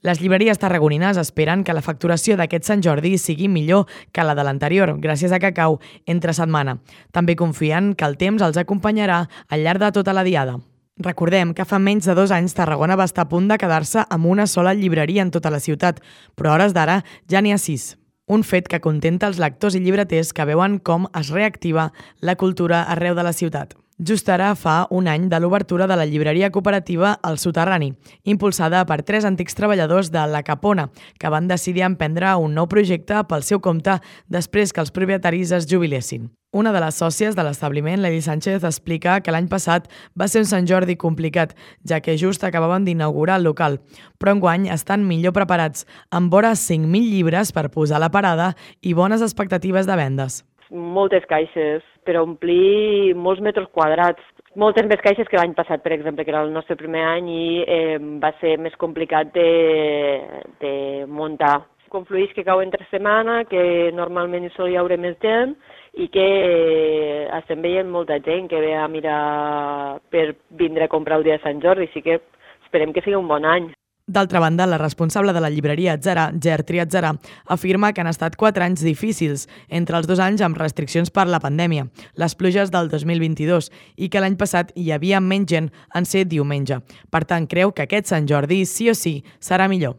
Les llibreries tarragonines esperen que la facturació d'aquest Sant Jordi sigui millor que la de l'anterior, gràcies a que cau entre setmana. També confien que el temps els acompanyarà al llarg de tota la diada. Recordem que fa menys de 2 anys Tarragona va estar a punt de quedar-se amb una sola llibreria en tota la ciutat, però a hores d'ara ja n'hi ha 6. Un fet que contenta els lectors i llibreters que veuen com es reactiva la cultura arreu de la ciutat. Just ara fa un any de l'obertura de la llibreria cooperativa El Soterrani, impulsada per 3 antics treballadors de La Capona, que van decidir emprendre un nou projecte pel seu compte després que els propietaris es jubilessin. Una de les sòcies de l'establiment, l'Eli Sánchez, explica que l'any passat va ser un Sant Jordi complicat, ja que just acabaven d'inaugurar el local, però enguany estan millor preparats, amb vora 5.000 llibres per posar a la parada i bones expectatives de vendes. Moltes caixes per omplir molts metres quadrats. Moltes més caixes que l'any passat, per exemple, que era el nostre primer any i va ser més complicat de muntar. Confluïx que cau entre setmana, que normalment hi sol haure més gent i que estem veient molta gent que ve a mirar per vindre a comprar el dia de Sant Jordi, així que esperem que sigui un bon any. D'altra banda, la responsable de la llibreria Atzarà, Gertri Atzarà, afirma que han estat 4 anys difícils, entre els 2 anys amb restriccions per la pandèmia, les pluges del 2022 i que l'any passat hi havia menys gent en ser diumenge. Per tant, creu que aquest Sant Jordi sí o sí serà millor.